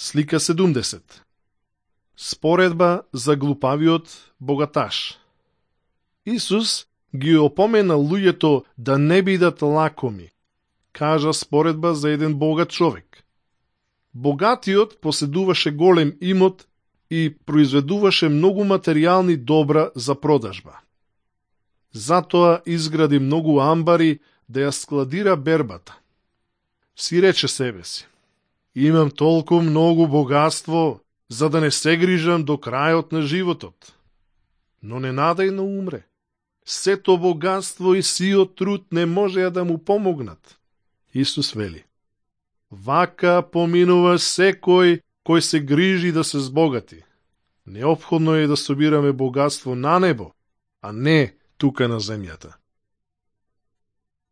Слика 70. Споредба за глупавиот богаташ. Исус ги опомена луѓето да не бидат лакоми. Кажа споредба за еден богат човек. Богатиот поседуваше голем имот и произведуваше многу материјални добра за продажба. Затоа изгради многу амбари да ја складира бербата. Си рече себе си: имам толку многу богатство, за да не се грижам до крајот на животот. Но ненадејно умре. Сето богатство и сиот труд не можеа да му помогнат. Исус вели: вака поминува секој кој се грижи да се збогати. Неопходно е да собираме богатство на небо, а не тука на земјата.